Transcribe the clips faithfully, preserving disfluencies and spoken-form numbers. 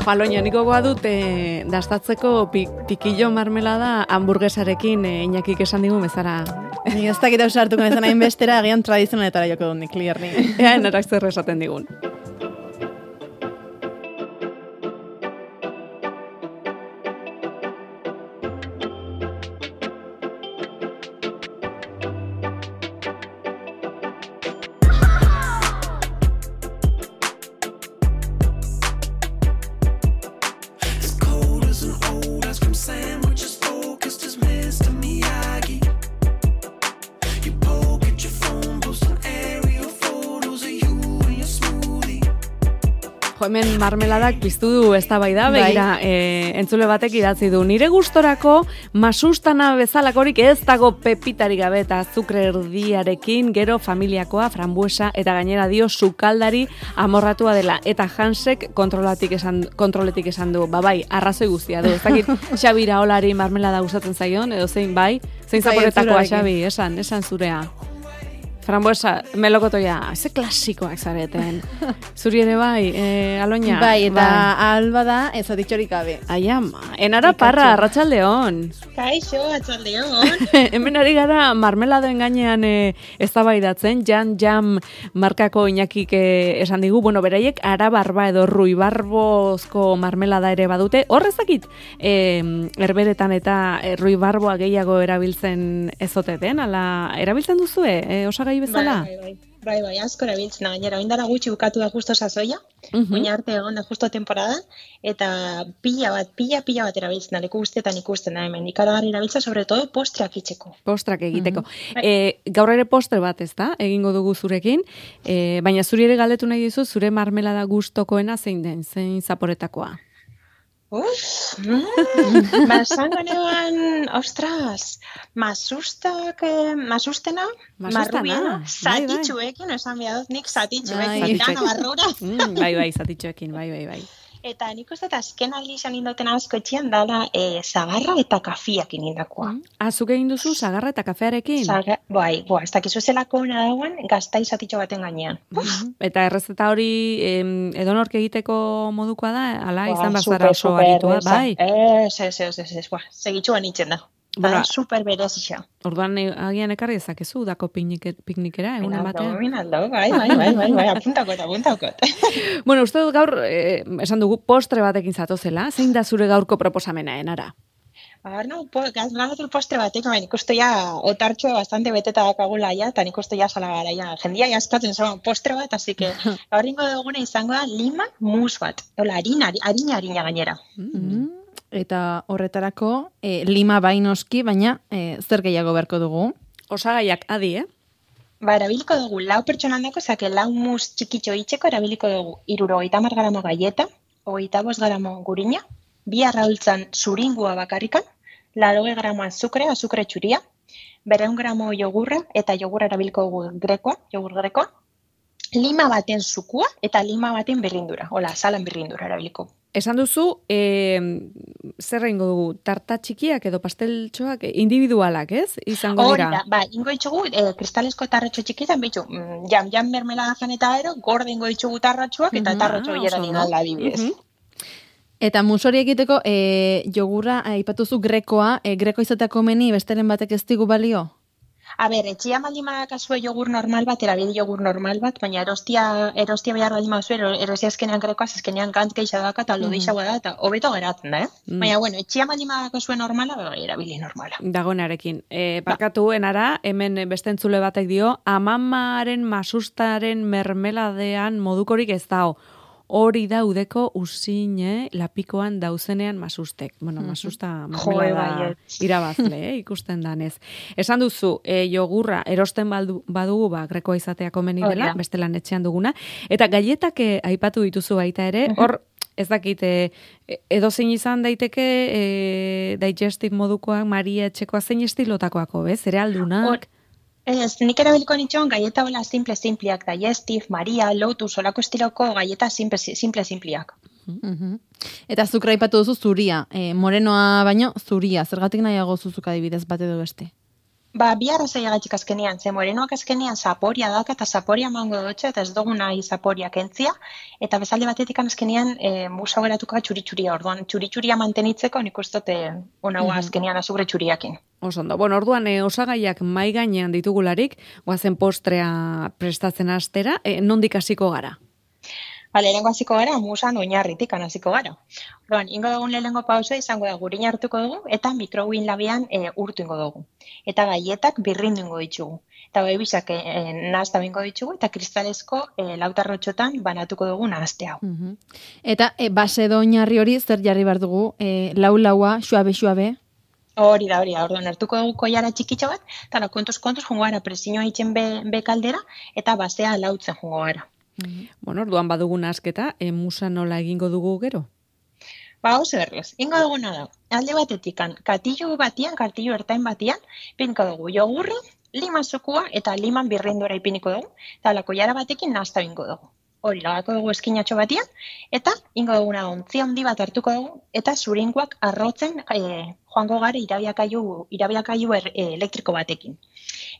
Aloña, niko goa dut e, dastatzeko pi, pikillo marmelada hamburguesarekin e, Iñakik esan digu bezara. Ni ez dakit hausa hartuko nezan hain bestera, agian tradizionaletara joko dut nik, klierni. Ea, narak zer esaten digun. Hemen marmeladak piztu du eztabaida, begira, e, entzule batek idatzi du. Nire gustorako masustana bezalakorik ez dago pepitari gabe eta azukre erdiarekin, gero familiakoa, frambuesa eta gainera dio sukaldari amorratua dela. Eta Hansek kontrolatik esan, kontroletik esan du. Ba bai, arrazoi guztia du. Ez dakit Xabi Iraolari marmelada gustatzen zaion, edo zein bai, zein zaporetakoa Xabi, esan, esan zurea. Frambuesa, melokotoia, ze klasikoak zareten. Zuri ere bai, eh, Aloña. Bai, eta bai. Alba da, ez aditxorik gabe. Ai ama, enara parra, arratsaldeon. Kaixo, arratsaldeon. Hemen ari gara marmeladoen gainean eh, eztabaidatzen, Jan Jam markako Iñakik eh, esan digu, bueno, beraiek arabarba edo ruibarbozko marmelada ere badute. Horrezakit, eh, herberetan eta eh, ruibarboa gehiago erabiltzen ezote den, ala, erabiltzen duzue, eh, osagai bezala? Bai, bai, bai, bai, asko erabiltzen gainera. Oindara gutxi bukatu da justo sasoia, uh-huh. Oin arte egon da justo temporada, eta pila bat, pila, pila bat erabiltzen da, leku guztietan ikusten da hemen. Ikaragarri erabiltzen, sobre todo, postrak itxeko. Postrak egiteko. Uh-huh. E, gaur ere postre bat ez da, egingo dugu zurekin, e, baina zuri ere galdetu nahi dizu, zure marmelada gustokoena zein den, zein zaporetakoa? Uf, mm, basango neban, ostras, masustak, eh, masustena, marrubiena, zatitxuekin, esan behar dut, nik zatitxuekin, dana barrura. Mm, bai, bai, zatitxuekin, bai, bai, bai. Eta nik uste eta azken aldi izan indoten asko etxian dala e, zagarra eta kafiakin indakoa. Mm. Azuk egin duzu zagarra eta kafearekin? Zaga, bai, boa, ez dakizu zelako hona dagoen gaztai zatitxo baten gainean. Mm. Eta errezeta hori em, edonork egiteko modukoa da, ala izan bazara oso aritua, bai? Ez, ez, ez, ez, ez, boa, segitxuan itzen da. Bueno, super berezia. Orduan agian ekarri ezakezu dako piknikera, egun ematean. Minaldo, bai, bai, bai, bai, bai, apuntakot, apuntakot. Bueno, uste dut gaur, eh, esan dugu, postre batekin zatozela, zein da zure gaurko proposamena, enara? Baina, no, ganatul postre batek, baina ikustu ja otartxoa bastante beteta dakagula ja, eta ikustu ja salagara ja. Jendia jaskatzen zuen postre bat, así que horrengo duguna izango da lima mus bat. Hola, harina, harina, harina gainera. Mm-hmm. Eta horretarako e, lima bainoski, baina e, zer gehiago beharko dugu? Osagaiak adi, eh? Ba, erabiliko dugu lau pertsonan dako, zake lau mus txikitxo itxeko, erabiliko dugu iruro hogeita hamar gramo galleta, hogeita bost gramo gurina, bi arraultzan zuringua bakarrikan, laurogeita gramo azukre, azukre txuria, berrehun gramo jogurra, eta jogurra erabiliko dugu grekoa, jogur grekoa, lima baten zukua, eta lima baten birrindura, hola, salan birrindura erabiliko. Esan duzu, e, zer egingo dugu, tarta txikiak edo pasteltxoak individualak, ez? Izango dira? Hori da, ba, ingo itxugu, e, kristalesko tarratxo txikitan, bitxu, jam, jam mermelada jan eta ero, gorde ingo itxugu tarratxoak, eta tarratxo hieran uh -huh. inalda adibidez. Uh -huh. Eta musori egiteko, e, jogurra, aipatuzu grekoa, e, greko izateko meni, besteren batek ez digu balio? A ber, etxia baldin badakazue jogur normal bat, erabili jogur normal bat, baina erostia, erostia behar baldin badazue, erostia eskenean grekoaz, eskenean gantz gehiago daka, eta aldo deixagoa da, eta hobeto geratzen da, eh? Mm. Baina, bueno, etxia baldin badakazue normala, bai, erabili normala. Dagoenarekin. E, parkatu enara, hemen beste entzule batek dio, amamaren masustaren mermeladean modukorik ez dao. Hori daudeko usine lapikoan dauzenean masustek. Bueno, masusta marmelada irabazle, eh, ikusten danez. Esan duzu, e, jogurra erosten baldu, badugu, ba, grekoa izatea komeni dela, beste lan etxean duguna. Eta galletak aipatu dituzu baita ere, hor, ez dakit, e, edozein izan daiteke, e, digestive modukoak, Maria etxekoa zein estilotakoako, bez? Zerealdunak? Ez, nik erabiliko nitxon galleta hola simple-simpliak, digestive, Maria, Lotus, olako estiloko galleta simple-simpliak. Uh-huh. Eta azukra aipatu duzu zuria, e, morenoa baino zuria, zergatik nahiago zuzuk adibidez bat edo beste? Ba, bi arrazoiagatik azkenean, ze morenoak azkenean zaporia daka eta zaporia mango dutxe, eta ez dugu nahi zaporia kentzia, eta bezalde batetik azkenean e, musa geratuko txuri-txuria, orduan txuri-txuria mantenitzeko nik ustote onagoa azkenean azugre txuriakin. Osondo. Bueno, orduan e, osagaiak mai gainean ditugularik, goazen postrea prestatzen astera, e, nondik hasiko gara? Bale, lehenko hasiko gara, musan oinarritik hasiko gara. Orduan, ingo dugun lehenko pausa izango da gurina hartuko dugu, eta mikrowin labian e, urtu ingo dugu. Eta gaietak birrindu ingo ditugu. Eta bai bisak e, e, nahazta bingo ditugu, eta kristalezko e, lautarrotxotan banatuko dugu nahazte hau. Uh-huh. Eta e, base edo oinarri hori zer jarri behar dugu, e, lau-laua, xuabe-xuabe? Hori da, hori da, orduan hartuko dugu koiara txikitxo bat, eta kontuz-kontuz jungo gara presioa itzen be, be kaldera, eta basea lautzen jungo gara. Bueno, orduan badugun asketa, e, musa nola egingo dugu gero? Ba, oso errez, ingo duguna da, alde batetik, katillo batian, katillo ertain batian, pinko dugu jogurri, lima zukua eta liman birrindora ipiniko dugu, eta lako jara batekin nahazta bingo dugu. Hori, lagako dugu eskinatxo batian, eta ingo duguna ontzi handi bat hartuko dugu, eta zurinkoak arrotzen e, joango gara irabiakailu, irabiakailu er, e, elektriko batekin.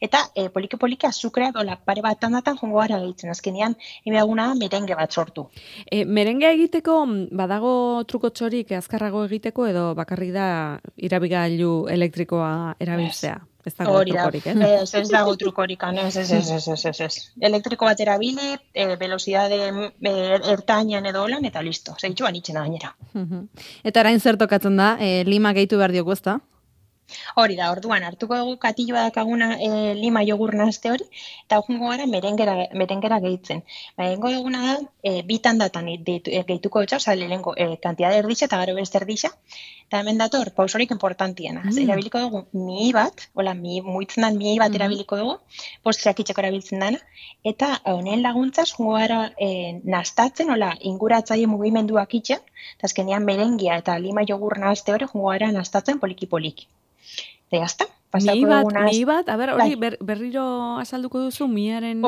Eta e, poliki-poliki azukrea dola pare bat tandatan joango gara gehitzen, azkenean emeguna merenge bat sortu. E, merengea egiteko badago truko txorik azkarrago egiteko edo bakarrik da irabigailu elektrikoa erabiltzea? Ez dago trukorik, ez? Ez, ez dago trukorik, ez, ez, ez, ez, ez, ez, ez. Elektriko bat erabili, e, velocidade e, ertainan edo holan, eta listo, segitxuan itxena gainera. Eta arain zer tokatzen da, e, lima gehitu behar diogu, ezta? Hori da, orduan, hartuko dugu katilloa dakaguna e, lima jogur nahazte hori, eta jungo gara merengera, merengera gehitzen. Ba, egingo duguna da, e, bitan datan gehituko dutxa, oza, lehenko e, kantidade erdixa eta garo beste erdixa, eta hemen dator, pausorik importantiena. Mm. Erabiliko dugu mihi bat, hola, mi, muitzen dan mihi bat mm. erabiliko dugu, postreak itxeko erabiltzen dana, eta honen laguntzaz, jungo gara e, naztatzen, hola, inguratzaile mugimenduak itxen, eta azkenean merengia eta lima jogur nahazte hori, jungo gara naztatzen poliki-poliki. Eta jazta, pasako mi bat, dugunaz... Mi bat, a ber, hori ber, berriro azalduko duzu miaren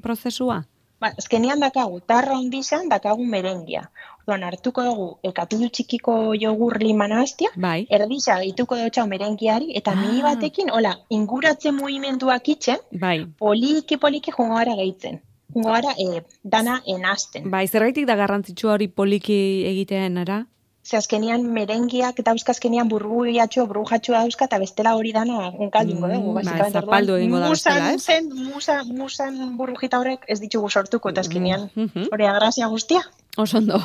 prozesua? Ba, azkenean dakagu, tarra ondizan dakagu merengia. Orduan, hartuko dugu, ekatilu txikiko jogur lima nahaztia, bai. Erdisa gehituko dutxau merengiari, eta ah. mihi batekin, hola, inguratzen mugimenduak itxen, bai. poliki-poliki jungo gara gehitzen. Jungo gara e, dana enazten. Bai, zergaitik da garrantzitsua hori poliki egitean, ara? Ze azkenean merengiak dauzka azkenean burbuiatxo, brujatxo dauzka, eta bestela hori dana unkaldingo dugu. Mm, ba, zapaldu egingo da bestela, ez? Zen, musa, musan burujita horrek ez ditugu sortuko, eta azkenean hori agrazia guztia. Osondo.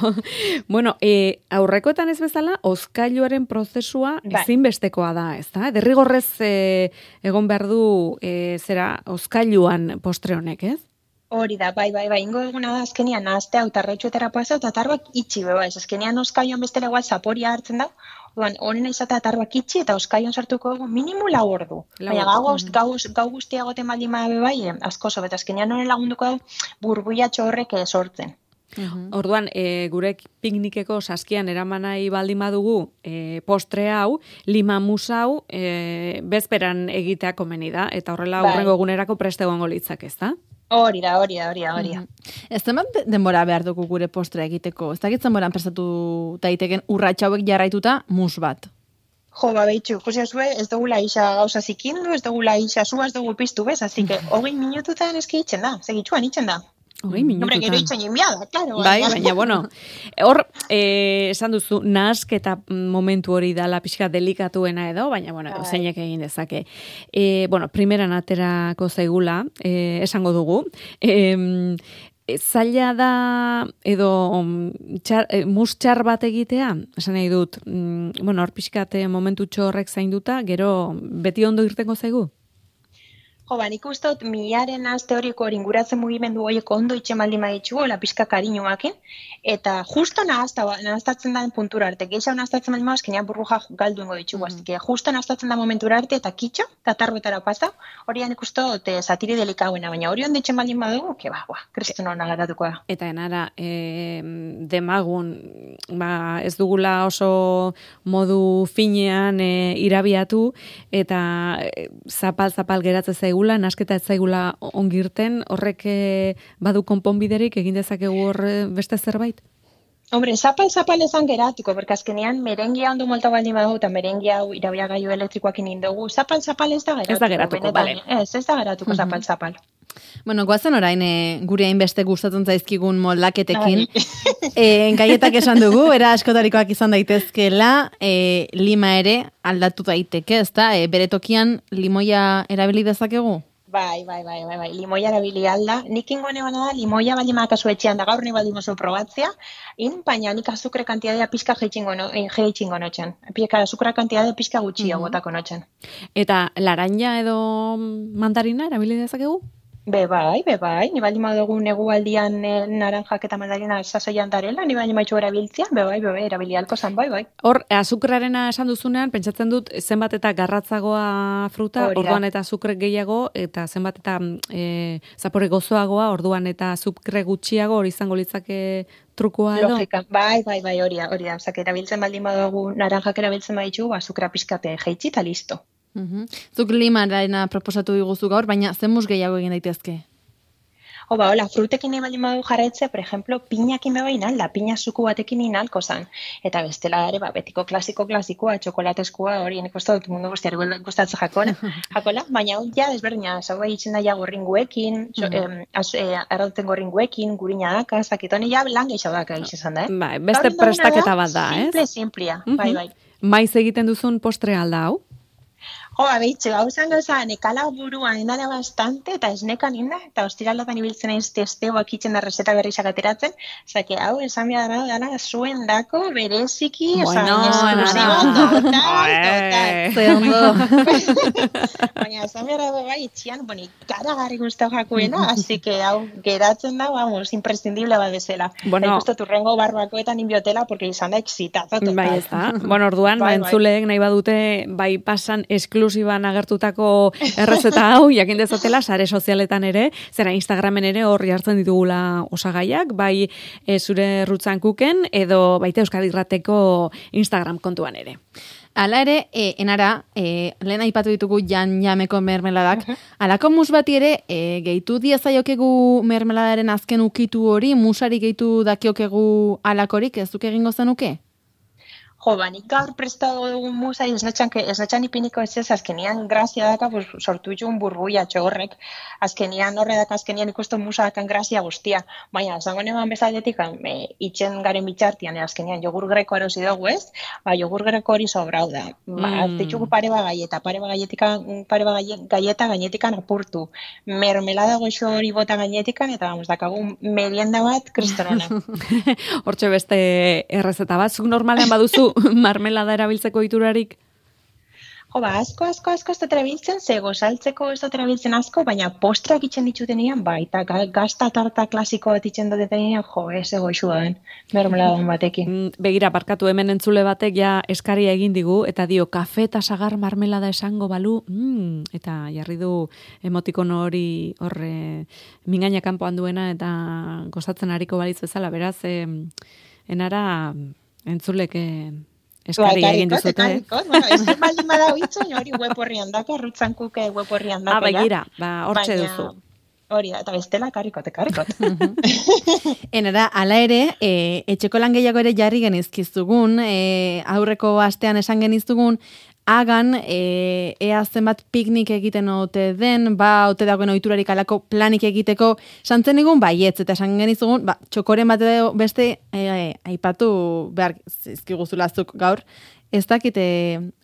Bueno, e, aurrekoetan ez bezala, ozkailuaren prozesua bai. Ezinbestekoa da, ez da? Derrigorrez e, egon behar du e, zera ozkailuan postre honek, ez? Hori da, bai, bai, bai, ingo eguna da, azkenian, nahaztea, utarretxuetara pasa, eta tarroak itxi, beba, ez, azkenian oskaioan bestela igual zaporia hartzen da, oduan, honen izatea tarroak itxi, eta oskaioan sartuko dugu, minimu lau ordu. Baina gau, gau, gau guztia goten baldin bada bai, asko zo, eta azkenian honen lagunduko dugu, burbuiatxo horrek sortzen. Uhum. Orduan, e, gure piknikeko saskian eramanai baldin badugu e, postre hau, lima musa hau, e, bezperan egitea komeni da, eta horrela bai. Hurrengo egunerako preste egongo litzak, ez da? Hori da, hori da, hori da, hori da. Mm-hmm. Ez zenbat denbora behar dugu gure postre egiteko? Ez dakit zenboran prestatu daiteken urratxa hauek jarraituta mus bat? Jo, ba, behitxu, ikusi zue, ez dugula isa gauza zikindu, ez dugula isa zua, ez dugu piztu bez, así que hogei minututan eski itzen da, segitxuan itzen da. Hogei minututan. Hombre, gero itzen inbiada, claro. Bai, baina, bueno, hor, eh, esan duzu, nahasketa momentu hori dala pixka delikatuena edo, baina, bueno, bai. Zeinek egin dezake. Eh, bueno, primeran aterako zaigula, eh, esango dugu, eh, zaila da edo txar, e, mus txar bat egitea, esan nahi dut, mm, bueno, hor pixkat momentu txorrek zainduta, gero beti ondo irtengo zaigu? Jo, ba, nik uste dut milaren nahazte horiko inguratzen mugimendu horiek ondo itxe maldi maitxu, la pixka kariñuakin, eta justo nahaztatzen da puntura arte, geixau nahaztatzen maldi maitxu, kenean burbuja galdu ingo ditugu, mm. que justo nahaztatzen da momentura arte, eta kitxo, eta tarruetara pasa, hori nik uste dut satiri delikauena, baina hori ondo itxe maldi madugu, que ba, ba, kristun hona garatuko da. Eta enara, e, demagun, ba, ez dugula oso modu finean e, irabiatu, eta zapal-zapal geratzen zaigu, nasketa ez zaigula ongirten, horrek badu konponbiderik egin dezakegu hor beste zerbait? Hombre, zapal-zapal esan geratuko, porque azkenean merengia ondo molta baldin badago, eta merengia hau irabiagailu elektrikoakin indogu, zapal-zapal ez da geratuko. Ez da geratuko, benetan, bale. Ez, ez da geratuko zapal-zapal. Bueno, guazen orain e, gure hainbeste gustatzen zaizkigun moldaketekin. Ai. E, gaietak esan dugu, era askotarikoak izan daitezkela, e, lima ere aldatu daiteke, ezta? E, bere tokian limoia erabili dezakegu? Bai, bai, bai, bai, bai, limoia erabili alda. Nik ingone bana da, limoia baldin badakazu etxean da gaur nahi baldin mozu probatzea, in, baina nik azukre kantidadea pizka jeitxingo no, jeitxingo notxen. Pika azukra kantidadea pizka gutxia botako notxen. Eta laranja edo mandarina erabili dezakegu? Be bai, be bai, ni baldin badugu negualdian e, naranjak eta mandarina sasoian darela, ni baldin maitxu erabiltzea, be bai, be bai, erabili alko zan, bai, bai. Hor, azukrarena esan duzunean, pentsatzen dut zenbat eta garratzagoa fruta, Hori da. orduan eta azukre gehiago, eta zenbat eta e, zapore gozoagoa, orduan eta azukre gutxiago, hori izango litzake trukua edo? Logika, bai, bai, bai, hori da, hori da. Osea, erabiltzen baldin badugu naranjak erabiltzen baditu, azukra pizkate jeitzi eta listo. Uhum. Zuk limarena proposatu diguzu gaur, baina zenmus gehiago egin daitezke? O, ba, hola, frutekin nahi baldin badu jarraitzea, por ejemplo, piñakin beba inalda, piña zuku batekin inalko zan. Eta bestela ere, ba, betiko klasiko klasikoa, txokolateskua, hori, nik uste dut mundu guztiari gustatzen jakola, jakola, baina hori ja desberdina, zau bai itzen daia gorringuekin, so, em, az, e, arrauten gorringuekin, gurina daka, zakitone ja lan gehiago daka izan da, eh? Bai, beste prestaketa bat da, ez? Simple, simplia, bai, bai. Maiz egiten duzun postre alda hau? Jo, abitxe, hau zango zan, ekala buruan indala bastante, eta esnekan inda, eta ostiralatan ibiltzen aiz testeoak itzen da reseta berri sakateratzen, zake, hau, esan behar da, dala, zuen dako, bereziki, bueno, oza, esklusibo, total, Ze ondo. baina, esan behar da, bai, itxian, boni, karagarri guztau jakuena, así que, hau, geratzen da, vamos, imprescindible bat bezala. Bueno. Eta ikustu turrengo barbakoetan inbiotela, porque izan da exitazo, total. Bai, ez da. Bueno, orduan, Bai, ba, bai. entzuleek nahi badute, bai pasan esklusiban agertutako errezeta hau, jakin dezatela, sare sozialetan ere, zera Instagramen ere horri hartzen ditugula osagaiak, bai e, zure rutzan kuken, edo baita Euskadi Irrateko Instagram kontuan ere. Hala ere, e, enara, e, lehen aipatu ditugu jan jameko mermeladak, alako mus bati ere, e, gehitu diezaiokegu mermeladaren azken ukitu hori, musari gehitu dakiokegu alakorik, ez duk egingo zenuke? Jo, ba, nik gaur prestatu dugun musa, esnatxan, esnatxan ipiniko ez ez, azkenian grazia daka, pues, sortu itxun burbuia txogorrek, azkenian horre daka, azkenian ikusten musa dakan grazia guztia, baina, zango neban bezaldetik, e, itxen garen bitxartian, e, azkenian jogur greko erosi dugu ez, ba, jogur greko hori sobrau da, ba, Mm. ditxugu pare ba gaieta, pare ba gaietika, pare ba gaie- gaieta gainetikan apurtu, mermelada goxo hori bota gainetikan, eta, vamos, dakagu merienda bat kristonona. Hortxe beste errezeta bat, zuk normalean baduzu marmelada erabiltzeko iturarik? Jo, ba, asko, asko, asko ez dut erabiltzen, ze gozaltzeko ez dut erabiltzen asko, baina postrak itxen ditutenian, ba, eta ga- gazta tarta klasiko bat itxen dutenian, jo, ez ego den, mermeladan batekin. Mm, Begira, barkatu hemen entzule batek ja eskaria egin digu, eta dio, kafe eta sagar marmelada esango balu, mm, eta jarri du emotikono hori horre mingaina kanpoan duena, eta gozatzen hariko balitz bezala, beraz, eh, enara entzulek eh, eskari Ba, egin ekarrikot, duzute. eh? ekarrikot, bueno, ez dut baldin badau itzuen, hori web horrian daka, rutzan kuke web horrian daka. Ah, begira, ba, hortxe Baina, duzu. Hori da, eta bestela ekarrikot, ekarrikot. Enara, ala ere, e, etxeko lan gehiago ere jarri genizkizugun, e, aurreko astean esan geniztugun, hagan, e, ea zenbat piknik egiten ote den, ba, ote dagoen ohiturarik alako planik egiteko, santzen egun baietz, eta esan genizugun, ba, txokoren bat edo beste, e, aipatu behar zizkiguzulazuk gaur, ez dakite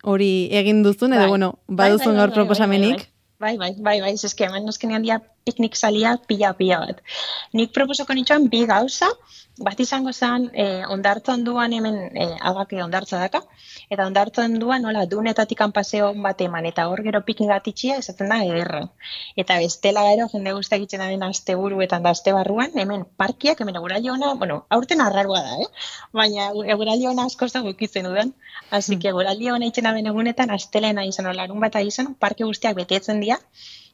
hori egin duzun, edo, Bai. bueno, Bai, baduzun bai, bai, gaur bai, proposamenik. Bai, bai, bai, bai, eske hemen noskenean dia piknik salia pila-pila bat. Nik proposoko nitxoan bi gauza, bat izango zen eh, ondartzan duan hemen eh, agake ondartza daka, eta ondartzan duan nola dunetatik paseo bat eman, eta hor gero piknik bat itxia izaten da ederra. Eta bestela gero jende guztia egiten da den asteburuetan da aste barruan, hemen parkiak, hemen eguraldi ona, bueno, aurten arrarua da, eh? Baina eguraldi ona askoz da gukitzen dudan. Así que eguraldi ona itxena ben egunetan, astelena izan, larun bata izan, parke guztiak betetzen dira,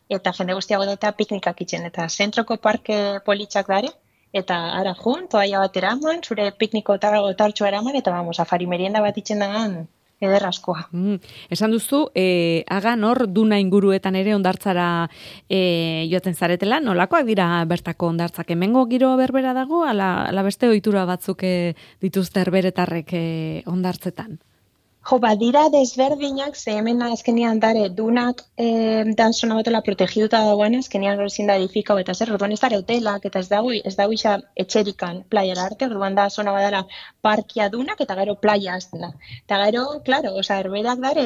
eta jende guztiago eta piknikak itxen, eta zentroko parke politxak dare, eta ara jun, toaia bat eraman, zure pikniko targo tartxoa eraman, eta vamos, afari merienda bat itxen dagan, ederraskoa. Mm, esan duzu, e, agan hor duna inguruetan ere ondartzara e, joaten zaretela, nolakoak dira bertako ondartzak? Hemengo giro berbera dago, ala, ala beste ohitura batzuk e, dituzte herberetarrek e, ondartzetan? Jo, badira desberdinak, ze hemen azkenian dare dunak eh, dan zona batela protegiduta dagoen, azkenian gero ezin da edifikau eta zer, orduan ez dare hotelak eta ez dago, ez dago isa etxerikan playara arte, orduan da zona badara parkia dunak eta gero playa azten da. Eta gero, claro, oza, herberak dare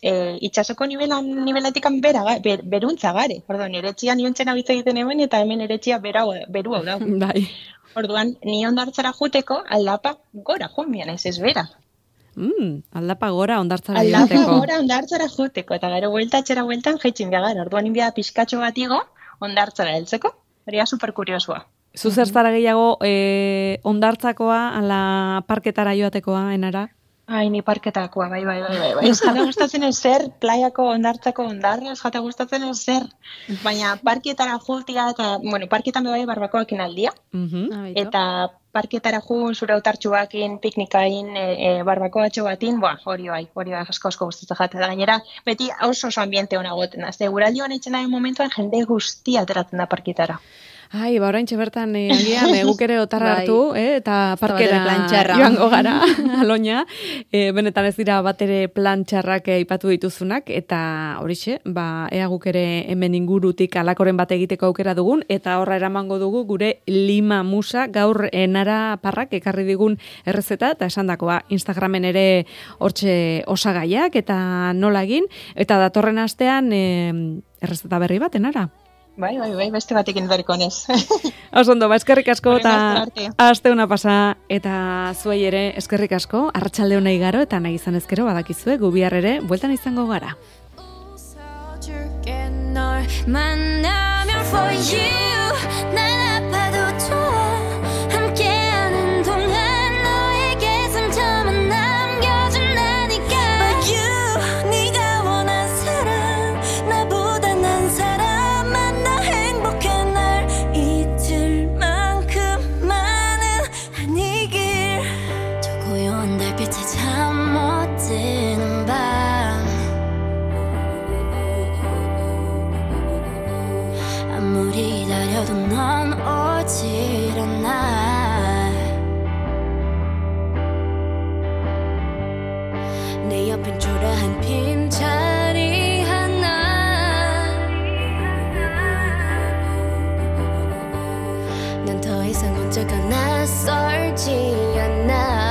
e, itxasoko nivelan, nivelatikan bera, ber, beruntza gare. Orduan, eretxia niontzen abitza egiten hemen eta hemen eretxia berau, beru hau da. Bai. Orduan, ni ondartzara juteko aldapa gora joan ez ez bera. Mm, aldapa gora ondartzara Aldapa joateko. gora ondartzara juteko, eta gero buelta etxera bueltan jaitxin biagar. Orduan inbia pizkatxo bat igo ondartzara heltzeko. Hori da superkuriosua. Zu zertara gehiago e, ondartzakoa, ala parketara joatekoa, enara? Ai, ni parketakoa, bai, bai, bai, bai, bai. Ez jata gustatzen ez zer, playako ondartzako ondarra, ez jata gustatzen ez zer. Baina parkietara jutia, eta, bueno, parkietan bai barbakoakin aldia. Mhm. Eta parketara ju, zure autartxuakin, piknikain, e, e, barbakoatxo batin, boa, hori bai, hori bai, asko asko gustatzen jate da. Gainera, beti oso oso ambiente hona goten. Azte, guraldi honetan itxen daen momentuan jende guztia ateratzen da parkietara. Ai, ba, oraintxe bertan eh, agian eh, guk ere otarra Bai. hartu, eh, eta parkera plantxarra. joango gara, aloña. Eh, benetan ez dira batere plantxarrak eh, ipatu dituzunak, eta horixe, ba, ea guk ere hemen ingurutik alakoren bat egiteko aukera dugun, eta horra eramango dugu gure lima musa gaur enara parrak ekarri digun errezeta, eta esandakoa Instagramen ere hortxe osagaiak, eta nola egin, eta datorren astean eh, errezeta berri bat, enara. Bai, bai, bai, beste batekin berriko nez. Osondo, ba, eskerrik asko eta Horren arte. aste una pasa eta zuei ere eskerrik asko, arratsalde ona igaro eta nahi izan ezkero badakizue gu bihar ere bueltan izango gara. 웃어줄게 널 만나면 for you 난 아파도 좋아 함께하는 동안 너에게 상처만 남겨준다니까 But you 네가 원한 사람 나보다 난 사람 만나 행복해 날 잊을 만큼만은 아니길 저 고요한 달빛에 잠 못 드는 밤 아무리 기다려도 넌 오질 않아 내 옆엔 초라한 빈자리 하나 난 더 이상 혼자가 낯설지 않아